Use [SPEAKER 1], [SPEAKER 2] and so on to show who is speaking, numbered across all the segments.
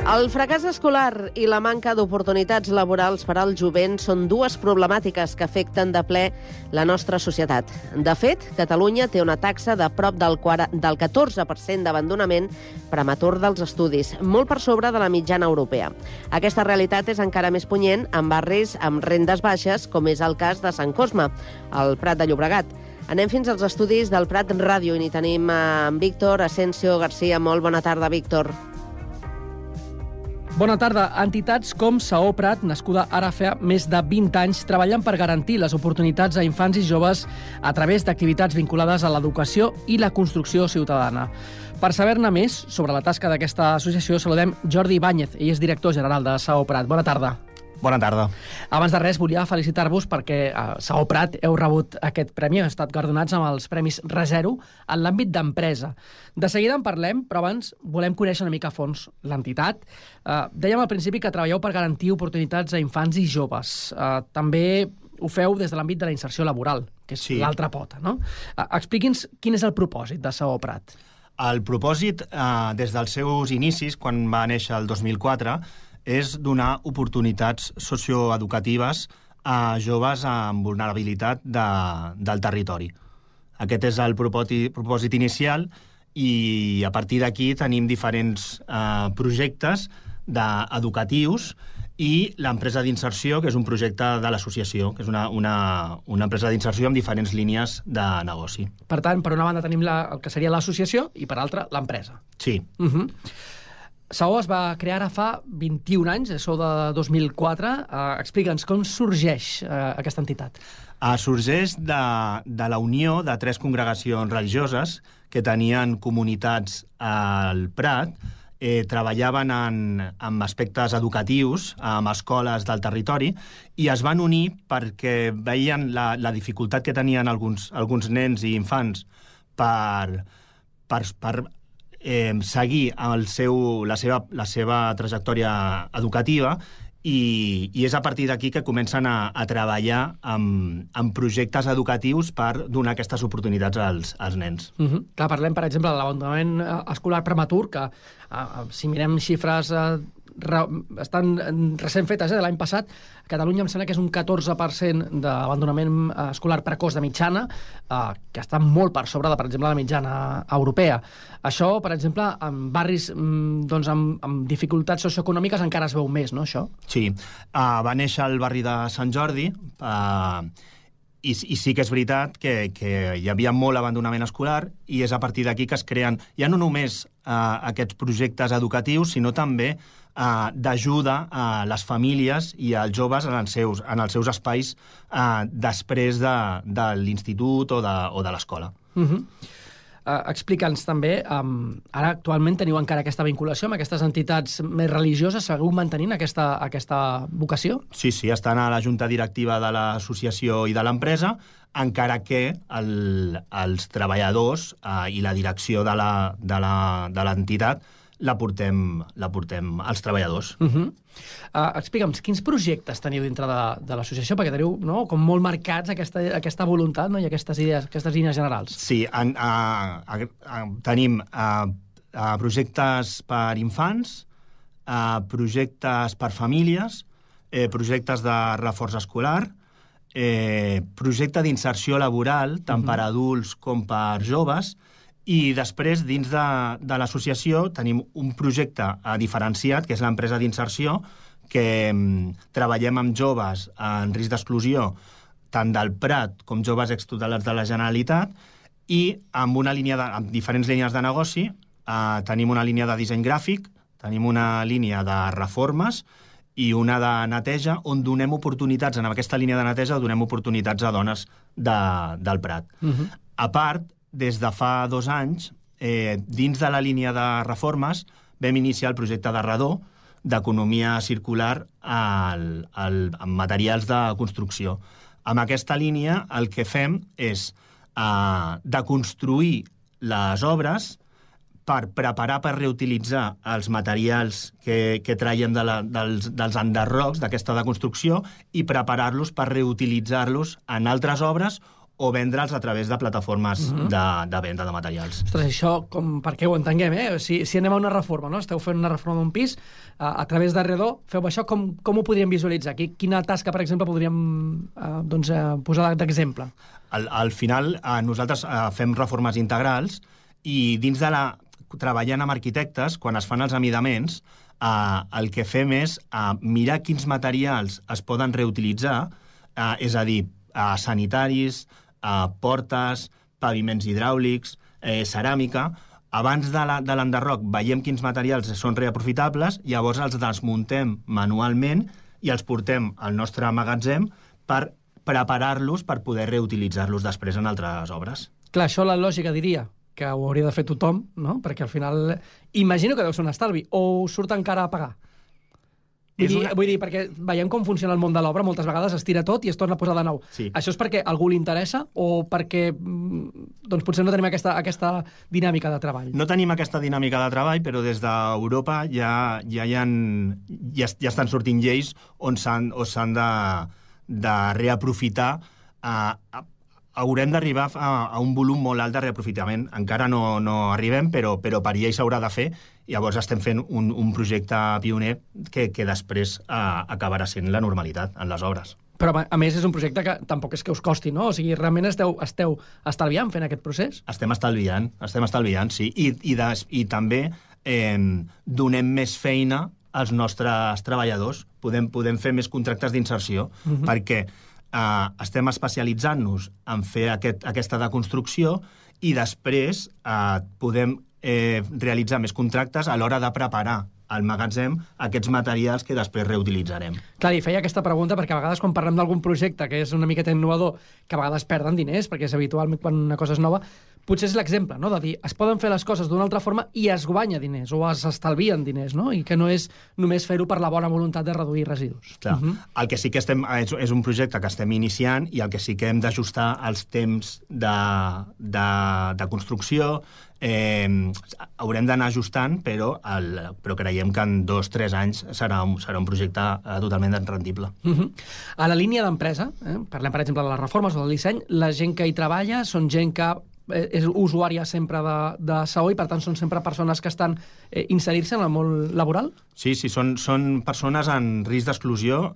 [SPEAKER 1] El fracàs escolar i la manca d'oportunitats laborals per al jovent són dues problemàtiques que afecten de ple la nostra societat. De fet, Catalunya té una taxa de prop del 14% d'abandonament prematur dels estudis, molt per sobre de la mitjana europea. Aquesta realitat és encara més punyent en barris amb rendes baixes, com és el cas de Sant Cosme, al Prat de Llobregat. Anem fins als estudis del Prat Ràdio i n'hi tenim en Víctor Asensio García. Molt bona tarda, Víctor.
[SPEAKER 2] Bona tarda. Entitats com Saó Prat, nascuda ara fa més de 20 anys, treballen per garantir les oportunitats a infants i joves a través d'activitats vinculades a l'educació i la construcció ciutadana. Per saber-ne més sobre la tasca d'aquesta associació, saludem Jordi Ibáñez. Ell és director general de Saó Prat. Bona tarda.
[SPEAKER 3] Bona tarda.
[SPEAKER 2] Abans de res, volia felicitar-vos perquè a Saó Prat heu rebut aquest premi, heu estat guardonats amb els Premis ReZero en l'àmbit d'empresa. De seguida en parlem, però abans volem conèixer una mica a fons l'entitat. Dèiem al principi que treballeu per garantir oportunitats a infants i joves. També ho feu des de l'àmbit de la inserció laboral, que és l'altra pota, no? Expliqui'ns quin és el propòsit de Saó Prat.
[SPEAKER 3] El propòsit, des dels seus inicis, quan va néixer el 2004, és donar oportunitats socioeducatives a joves amb vulnerabilitat del territori. Aquest és el propòsit inicial i a partir d'aquí tenim diferents projectes educatius i l'empresa d'inserció, que és un projecte de l'associació, que és una empresa d'inserció amb diferents línies de negoci.
[SPEAKER 2] Per tant, per una banda tenim el que seria l'associació i per l'altra l'empresa.
[SPEAKER 3] Sí.
[SPEAKER 2] Saó es va crear ara fa 21 anys, sou de 2004. Explica'ns com sorgeix aquesta entitat.
[SPEAKER 3] Sorgeix de la unió de 3 congregacions religioses que tenien comunitats al Prat, treballaven en aspectes educatius, amb escoles del territori, i es van unir perquè veien la dificultat que tenien alguns nens i infants per seguir la seva trajectòria educativa i és a partir d'aquí que comencen a treballar en projectes educatius per donar aquestes oportunitats als nens.
[SPEAKER 2] Clar, parlem, per exemple, de l'abandonament escolar prematur, que si mirem xifres estan recent fetes, de l'any passat, a Catalunya em sembla que és un 14% d'abandonament escolar precoç de mitjana, que està molt per sobre de, per exemple, la mitjana europea. Això, per exemple, en barris amb dificultats socioeconòmiques encara es veu més, no, això?
[SPEAKER 3] Sí. Va néixer al barri de Sant Jordi i sí que és veritat que hi havia molt abandonament escolar i és a partir d'aquí que es creen ja no només aquests projectes educatius, sinó també d'ajuda a les famílies i als joves en els seus espais després de l'institut o de l'escola.
[SPEAKER 2] Explica'ns també, ara actualment teniu encara aquesta vinculació amb aquestes entitats més religioses, seguiu mantenint aquesta vocació?
[SPEAKER 3] Sí, estan a la junta directiva de l'associació i de l'empresa, encara que els treballadors i la direcció de l'entitat la portem als treballadors.
[SPEAKER 2] Explica'ns, quins projectes teniu dintre de l'associació? Perquè teniu com molt marcats aquesta voluntat i aquestes idees, aquestes línies generals.
[SPEAKER 3] Sí, tenim projectes per infants, projectes per famílies, projectes de reforç escolar, projecte d'inserció laboral, tant per adults com per joves, i després, dins de l'associació, tenim un projecte diferenciat, que és l'empresa d'inserció, que treballem amb joves en risc d'exclusió, tant del Prat com joves extutelats de la Generalitat, i amb diferents línies de negoci. Tenim una línia de disseny gràfic, tenim una línia de reformes i una de neteja, on donem oportunitats, en aquesta línia de neteja, donem oportunitats a dones del Prat. A part, des de fa 2 anys, dins de la línia de reformes, vam iniciar el projecte de Redó, d'economia circular amb materials de construcció. Amb aquesta línia el que fem és deconstruir les obres per preparar per reutilitzar els materials que traiem dels enderrocs d'aquesta deconstrucció i preparar-los per reutilitzar-los en altres obres o vendre'ls a través de plataformes de venda de materials.
[SPEAKER 2] Ostres, això, perquè ho entenguem, Si anem a una reforma, no? Esteu fent una reforma d'un pis, a través de Redó, feu això, com ho podríem visualitzar? Quina tasca, per exemple, podríem posar d'exemple?
[SPEAKER 3] Al final, nosaltres fem reformes integrals i dins de treballant amb arquitectes, quan es fan els amidaments, el que fem és mirar quins materials es poden reutilitzar, és a dir, sanitaris, portes, paviments hidràulics, ceràmica. Abans de l'enderroc veiem quins materials són reaprofitables, llavors els desmuntem manualment i els portem al nostre magatzem per preparar-los per poder reutilitzar-los després en altres obres.
[SPEAKER 2] Clar, això la lògica diria que ho hauria de fer tothom, no? Perquè al final imagino que deu ser un estalvi, o us surt encara a pagar? Vull dir, perquè veiem com funciona el món de l'obra, moltes vegades es tira tot i es torna a posar de nou.
[SPEAKER 3] Sí.
[SPEAKER 2] Això és perquè a algú li interessa o perquè doncs potser no tenim aquesta dinàmica de treball?
[SPEAKER 3] No tenim aquesta dinàmica de treball, però des d'Europa ja estan sortint lleis on s'han de reaprofitar. Haurem d'arribar a un volum molt alt de reaprofitament. Encara no arribem, però per llei s'haurà de fer. Llavors estem fent un projecte pioner que després acabarà sent la normalitat en les obres.
[SPEAKER 2] Però, a més, és un projecte que tampoc és que us costi, no? O sigui, realment esteu estalviant fent aquest procés?
[SPEAKER 3] Estem estalviant, sí. I també donem més feina als nostres treballadors. Podem fer més contractes d'inserció, perquè estem especialitzant-nos en fer aquesta deconstrucció i després podem realitzar més contractes a l'hora de preparar al magatzem aquests materials que després reutilitzarem.
[SPEAKER 2] Clar, i feia aquesta pregunta perquè a vegades quan parlem d'algun projecte que és una miqueta innovador, que a vegades perden diners, perquè és habitual quan una cosa és nova, potser és l'exemple, no?, de dir, es poden fer les coses d'una altra forma i es guanya diners, o es estalvien diners, no?, i que no és només fer-ho per la bona voluntat de reduir residus.
[SPEAKER 3] Clar. El que sí que és un projecte que estem iniciant i el que sí que hem d'ajustar els temps de construcció. Haurem d'anar ajustant, però creiem que en 2-3 anys serà un projecte totalment rendible.
[SPEAKER 2] A la línia d'empresa, parlem, per exemple, de les reformes o del disseny, la gent que hi treballa són gent que és usuària sempre de SAO i, per tant, són sempre persones que estan inserint-se en el món laboral?
[SPEAKER 3] Sí, són persones en risc d'exclusió.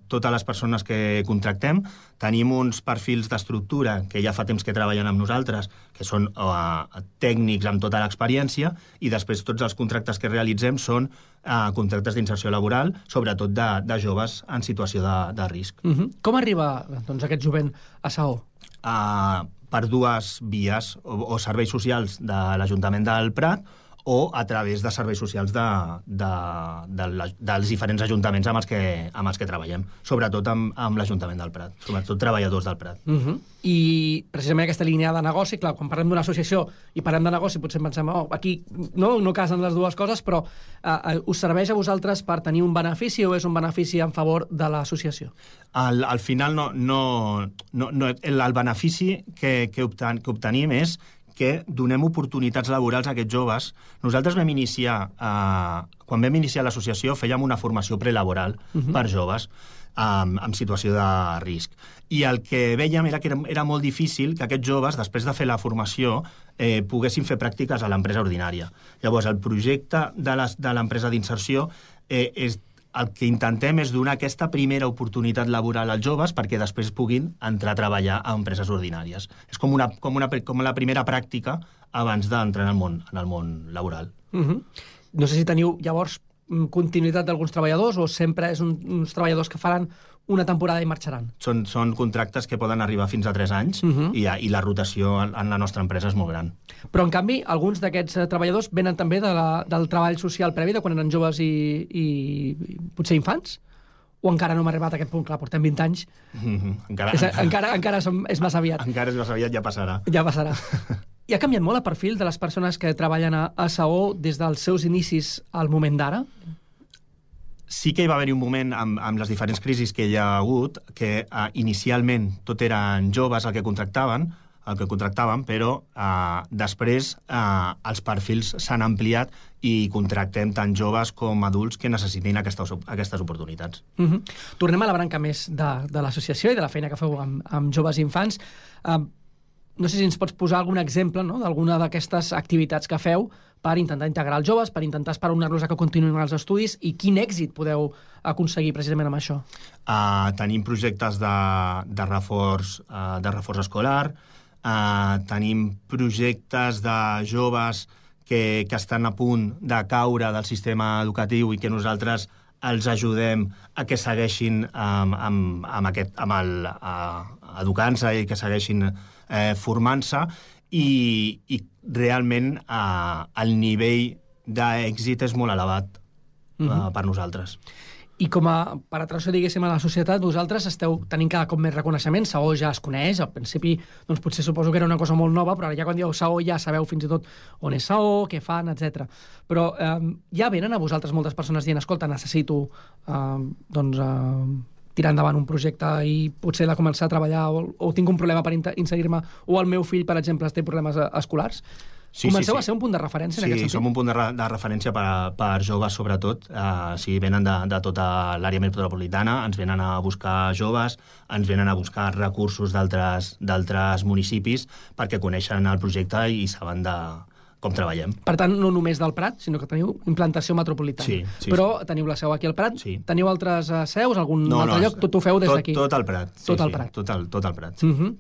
[SPEAKER 3] Totes les persones que contractem tenim uns perfils d'estructura que ja fa temps que treballen amb nosaltres, que són tècnics amb tota l'experiència, i després tots els contractes que realitzem són contractes d'inserció laboral, sobretot de joves en situació de risc.
[SPEAKER 2] Com arriba aquest jovent a SAO?
[SPEAKER 3] Per dues vies, o serveis socials de l'Ajuntament del Prat o a través de serveis socials dels diferents ajuntaments amb els que treballem, sobretot amb l'Ajuntament del Prat, sobretot treballadors del Prat.
[SPEAKER 2] I precisament aquesta línia de negoci, clar, quan parlem d'una associació i parlem de negoci, potser pensem, aquí no casen les dues coses, però us serveix a vosaltres per tenir un benefici o és un benefici en favor de l'associació?
[SPEAKER 3] Al final, el benefici que obtenim és que donem oportunitats laborals a aquests joves. Nosaltres quan vam iniciar l'associació, fèiem una formació prelaboral per joves en situació de risc. I el que vèiem era que era molt difícil que aquests joves, després de fer la formació, poguessin fer pràctiques a l'empresa ordinària. Llavors, el projecte de l'empresa d'inserció el que intentem és donar aquesta primera oportunitat laboral als joves perquè després puguin entrar a treballar a empreses ordinàries. És com la primera pràctica abans d'entrar en el món laboral.
[SPEAKER 2] No sé si teniu, llavors, continuïtat d'alguns treballadors o sempre és uns treballadors que faran una temporada i marxaran?
[SPEAKER 3] Són contractes que poden arribar fins a 3 anys i la rotació en la nostra empresa és molt gran.
[SPEAKER 2] Però, en canvi, alguns d'aquests treballadors venen també del treball social previ, de quan eren joves i potser infants? O encara no hem arribat a aquest punt? Clar, portem 20 anys. Encara és massa aviat.
[SPEAKER 3] Encara és massa aviat, ja passarà.
[SPEAKER 2] Ja passarà. I ha canviat molt el perfil de les persones que treballen a SAO des dels seus inicis al moment d'ara?
[SPEAKER 3] Sí que hi va haver un moment amb les diferents crisis que hi ha hagut que inicialment tot eren joves el que contractaven. contractàvem, però després els perfils s'han ampliat i contractem tant joves com adults que necessitin aquestes oportunitats.
[SPEAKER 2] Tornem a la branca més de l'associació i de la feina que feu amb joves i infants. No sé si ens pots posar algun exemple, no?, d'alguna d'aquestes activitats que feu per intentar integrar els joves, per intentar esperonar-los a que continuïn els estudis, i quin èxit podeu aconseguir precisament amb això?
[SPEAKER 3] Tenim projectes de reforç escolar, tenim projectes de joves que estan a punt de caure del sistema educatiu i que nosaltres els ajudem a que segueixin educant-se i que segueixin formant-se, i realment el nivell d'èxit és molt elevat per nosaltres.
[SPEAKER 2] I com a penetració, diguéssim, a la societat, vosaltres esteu tenint cada cop més reconeixement. Saó ja es coneix, al principi doncs potser suposo que era una cosa molt nova, però ara ja quan dieu Saó ja sabeu fins i tot on és Saó, què fan, etc. Però ja venen a vosaltres moltes persones dient, escolta, necessito tirar endavant un projecte i potser de començar a treballar, o tinc un problema per inserir-me, o el meu fill, per exemple, té problemes escolars. Comenceu a ser un punt de referència en aquest sentit?
[SPEAKER 3] Sí, som un punt de referència per joves, sobretot. Venen de tota l'àrea metropolitana, ens venen a buscar joves, ens venen a buscar recursos d'altres municipis perquè coneixen el projecte i saben com treballem.
[SPEAKER 2] Per tant, no només del Prat, sinó que teniu implantació metropolitana.
[SPEAKER 3] Sí.
[SPEAKER 2] Però teniu la seu aquí al Prat?
[SPEAKER 3] Sí.
[SPEAKER 2] Teniu altres seus, algun altre lloc? Tot ho feu des d'aquí?
[SPEAKER 3] Tot al Prat.
[SPEAKER 2] Tot al Prat.
[SPEAKER 3] Tot al Prat.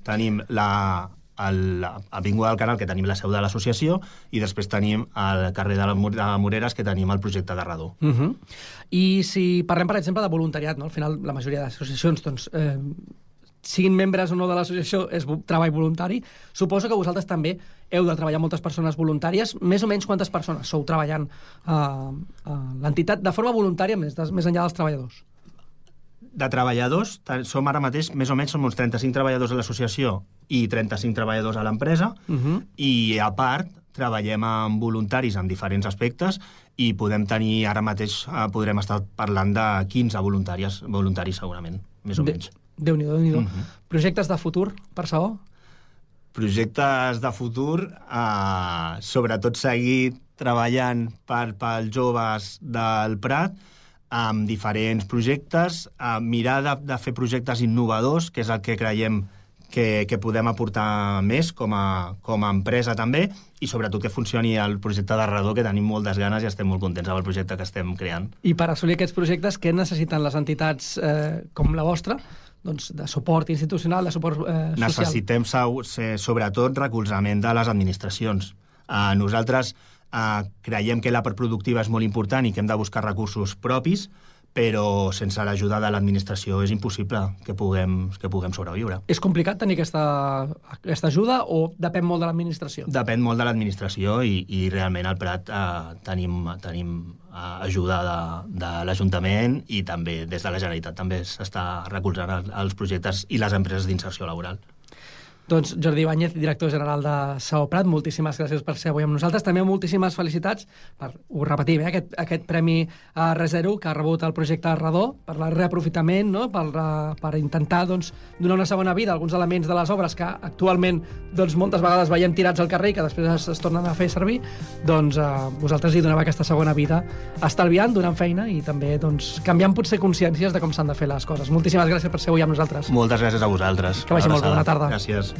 [SPEAKER 3] Tenim l'Avinguda del Canal, que tenim la seu de l'associació, i després tenim el carrer de Moreres, que tenim el projecte de Redó.
[SPEAKER 2] I si parlem, per exemple, de voluntariat, no? Al final, la majoria d'associacions, doncs, siguin membres o no de l'associació, és treball voluntari. Suposo que vosaltres també heu de treballar moltes persones voluntàries. Més o menys quantes persones sou treballant a l'entitat de forma voluntària, més enllà dels treballadors?
[SPEAKER 3] De treballadors, som ara mateix, més o menys, som uns 35 treballadors a l'associació i 35 treballadors a l'empresa, i a part treballem amb voluntaris en diferents aspectes, i podem tenir, ara mateix podrem estar parlant de 15 voluntaris segurament, més o menys.
[SPEAKER 2] Déu-n'hi-do. Projectes de futur per Saó?
[SPEAKER 3] Projectes de futur, sobretot seguir treballant pels joves del Prat, amb diferents projectes, mirar de fer projectes innovadors, que és el que creiem que podem aportar més com a empresa també, i sobretot que funcioni el projecte de Redó, que tenim moltes ganes i estem molt contents amb el projecte que estem creant.
[SPEAKER 2] I per assolir aquests projectes, què necessiten les entitats com la vostra? Doncs de suport institucional, de suport social.
[SPEAKER 3] Necessitem sobretot recolzament de les administracions. Nosaltres creiem que la part productiva és molt important i que hem de buscar recursos propis, però sense l'ajuda de l'administració és impossible que puguem sobreviure.
[SPEAKER 2] És complicat tenir aquesta ajuda o depèn molt de l'administració?
[SPEAKER 3] Depèn molt de l'administració i realment al Prat tenim ajuda de l'Ajuntament, i també des de la Generalitat també s'està recolzant els projectes i les empreses d'inserció laboral.
[SPEAKER 2] Doncs Jordi Ibáñez, director general de Saó Prat, moltíssimes gràcies per ser avui amb nosaltres. També moltíssimes felicitats per, ho repetim, aquest premi R0 que ha rebut el projecte Redó, per el reaprofitament, no? per intentar donar una segona vida a alguns elements de les obres que actualment moltes vegades veiem tirats al carrer i que després es tornen a fer servir. Doncs vosaltres hi doneu aquesta segona vida, estalviant, donant feina i també canviant potser consciències de com s'han de fer les coses. Moltíssimes gràcies per ser avui amb nosaltres.
[SPEAKER 3] Moltes gràcies a vosaltres.
[SPEAKER 2] Que vagi molt bé, bona tarda.
[SPEAKER 3] Gràcies.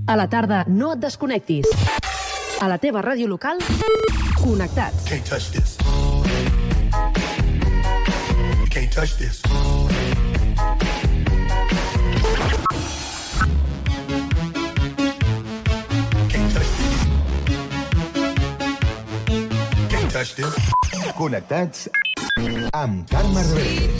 [SPEAKER 1] A la tarda, no et desconnectis. A la teva ràdio local, connectats.
[SPEAKER 4] Can't touch this. You can't touch this. Can't touch this. Can't touch this.
[SPEAKER 5] Connectats amb Carme Rebell.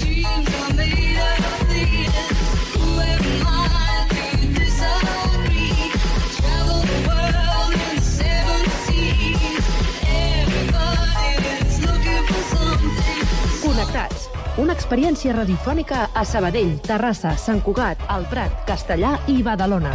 [SPEAKER 1] Connectats, una experiència radiofònica a Sabadell, Terrassa, Sant Cugat, El Prat, Castellar i Badalona.